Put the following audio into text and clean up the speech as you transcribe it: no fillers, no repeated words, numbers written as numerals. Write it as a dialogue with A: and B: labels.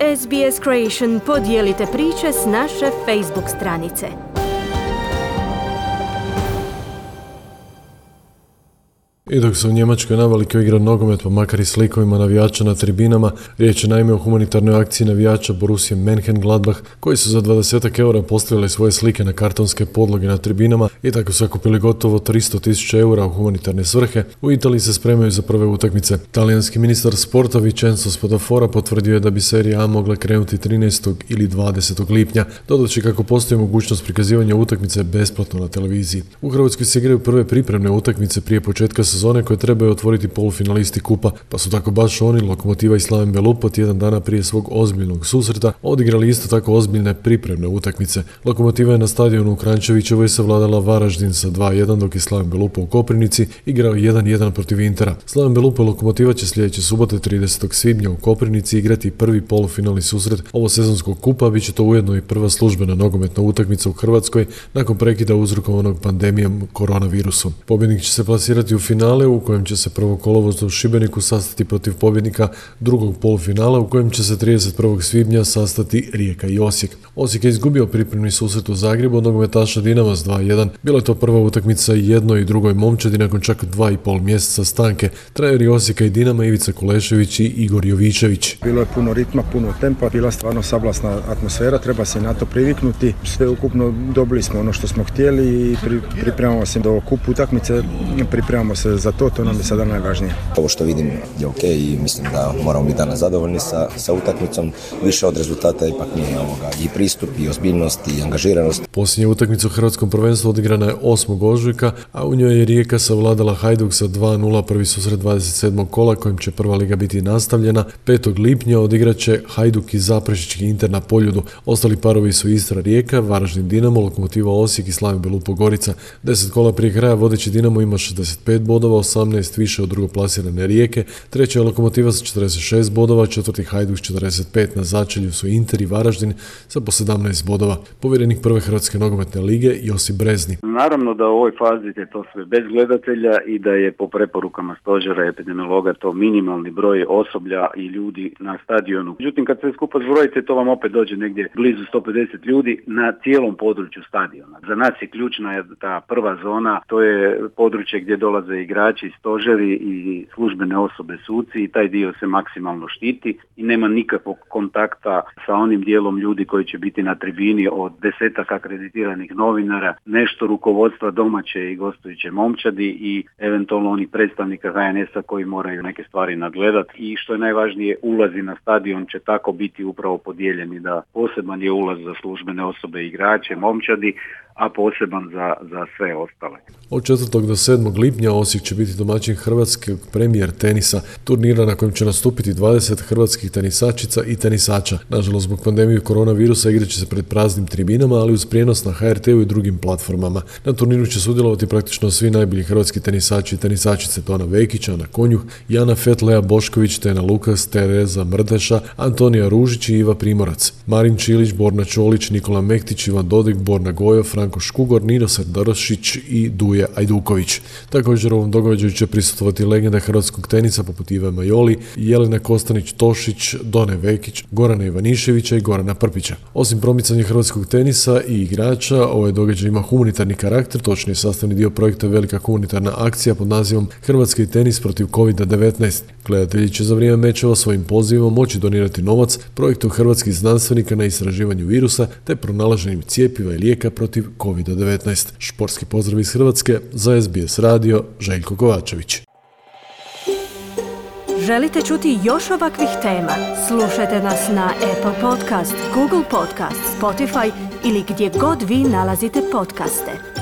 A: SBS Creation podijelite priče s naše Facebook stranice.
B: I dok se u Njemačkoj naveliko igra nogomet, pa makar i s likovima navijača na tribinama, riječ je naime o humanitarnoj akciji navijača Borussia Mönchengladbach, koji su za 20 eura postavili svoje slike na kartonske podloge na tribinama i tako su okupili gotovo 300.000 eura u humanitarne svrhe. U Italiji se spremaju za prve utakmice. Talijanski ministar sporta Vincenzo Spadafora potvrdio je da bi serija A mogla krenuti 13. ili 20. lipnja, dodajući kako postoji mogućnost prikazivanja utakmice besplatno na televiziji. U Hrvatskoj se igraju prve pripremne utakmice prije početka sezone koje trebaju otvoriti polufinalisti kupa, pa su tako baš oni, Lokomotiva i Slaven Belupo, tjedan dana prije svog ozbiljnog susreta odigrali isto tako ozbiljne pripremne utakmice. Lokomotiva je na stadionu u Kranjčevićevoj savladala Varaždin sa 2:1, dok je Slaven Belupo u Koprivnici igrao 1:1 protiv Intera. Slaven Belupo i Lokomotiva će sljedeće subote 30. svibnja u Koprivnici igrati prvi polufinalni susret ovo sezonskog kupa, bit će to ujedno i prva službena nogometna utakmica u Hrvatskoj nakon prekida uzrokovanog pandemijom koronavirusom. Pobjednik će se plasirati u finale u kojem će se prvo kolovoza u Šibeniku sastati protiv pobjednika drugog polufinala u kojem će se 31. svibnja sastati Rijeka i Osijek. Osijek je izgubio pripremni susret u Zagrebu od nogometaša Dinama s 2:1. Bila je to prva utakmica jednoj i drugoj momčadi nakon čak 2,5 mjeseca stanke. Treneri Osijeka i Dinama Ivica Kulešević i Igor Jovičević.
C: Bilo je puno ritma, puno tempa, bila stvarno sablasna atmosfera, treba se na to priviknuti. Sve ukupno dobili smo ono što smo htjeli i pripremamo se do kup utakmice, pripremamo se za to nam je sada najvažnije.
D: Ovo što vidim je ok i mislim da moramo biti danas zadovoljni sa utakmicom. Više od rezultata ipak nije i pristup, i ozbiljnost, i angažiranost.
B: Posljednja utakmica u hrvatskom prvenstvu odigrana je 8. ožujka, a u njoj je Rijeka savladala Hajduk sa 2:0 prvi susret 27. kola kojim će prva liga biti nastavljena. 5. lipnja odigrat će Hajduk i Zaprešićki Inter na Poljudu. Ostali parovi su Istra Rijeka, Varaždin Dinamo, Lokomotiva Osijek i Slaven Belupo Gorica. 10 kola prije kraja vodeći Dinamo ima 65 bodova, 18 više od drugoplasirane Rijeke, treća je Lokomotiva sa 46 bodova, četvrti Hajduk s 45, na začelju su Inter i Varaždin sa po 17 bodova. Povjerenik prve Hrvatske nogometne lige Josip Brezni.
E: Naravno da u ovoj fazi je to sve bez gledatelja i da je po preporukama stožera epidemiologa to minimalni broj osoblja i ljudi na stadionu. Međutim, kad se skupa zbrojite, to vam opet dođe negdje blizu 150 ljudi na cijelom području stadiona. Za nas je ključna ta prva zona, to je područje gdje dolaze igrači, stožeri i službene osobe, suci, i taj dio se maksimalno štiti i nema nikakvog kontakta sa onim dijelom ljudi koji će biti na tribini, od 10 akreditiranih novinara, nešto rukovodstva domaće i gostujuće momčadi i eventualno onih predstavnika HNS-a koji moraju neke stvari nadgledati. I što je najvažnije, ulazi na stadion će tako biti upravo podijeljeni da poseban je ulaz za službene osobe i igrače, momčadi, a poseban za sve ostale.
B: Od 4. do 7. lipnja Osijek će biti domaćin hrvatskog premijer tenisa, turnira na kojem će nastupiti 20 hrvatskih tenisačica i tenisača. Nažalost, zbog pandemije koronavirusa igrat će se pred praznim tribinama, ali uz prijenos na HRT-u i drugim platformama. Na turniru će sudjelovati praktično svi najbolji hrvatski tenisači i tenisačice: Tona Vekić, Ana Konjuh, Jana Fet, Lea Bošković, Tena Lukas, Tereza Mrdeša, Antonija Ružić i Iva Primorac. Marin Čilić, Borna Čolić, Nikola Mektić, Ivan Dodik, Borna Gojo, Franko Škugor, Ninoslav Dorošić i Duje Ajduković. Također ovom događaju će prisustvovati legende hrvatskog tenisa poput Ive Majoli, Jelena Kostanić-Tošić, Done Vekić, Gorana Ivaniševića i Gorana Prpića. Osim promicanja hrvatskog tenisa i igrača, ovaj događaj ima humanitarni karakter, točnije sastavni dio projekta velika humanitarna akcija pod nazivom Hrvatski tenis protiv COVID-19. Gledatelji će za vrijeme mečeva svojim pozivom moći donirati novac projektu hrvatskih znanstvenika na istraživanju virusa te pronalaženju cjepiva i lijeka protiv COVID-19. Športski pozdrav iz Hrvatske, za SBS radio, Željko Kovačević.
A: Želite čuti još ovakvih tema? Slušajte nas na Apple Podcast, Google Podcast, Spotify ili gdje god vi nalazite podcaste.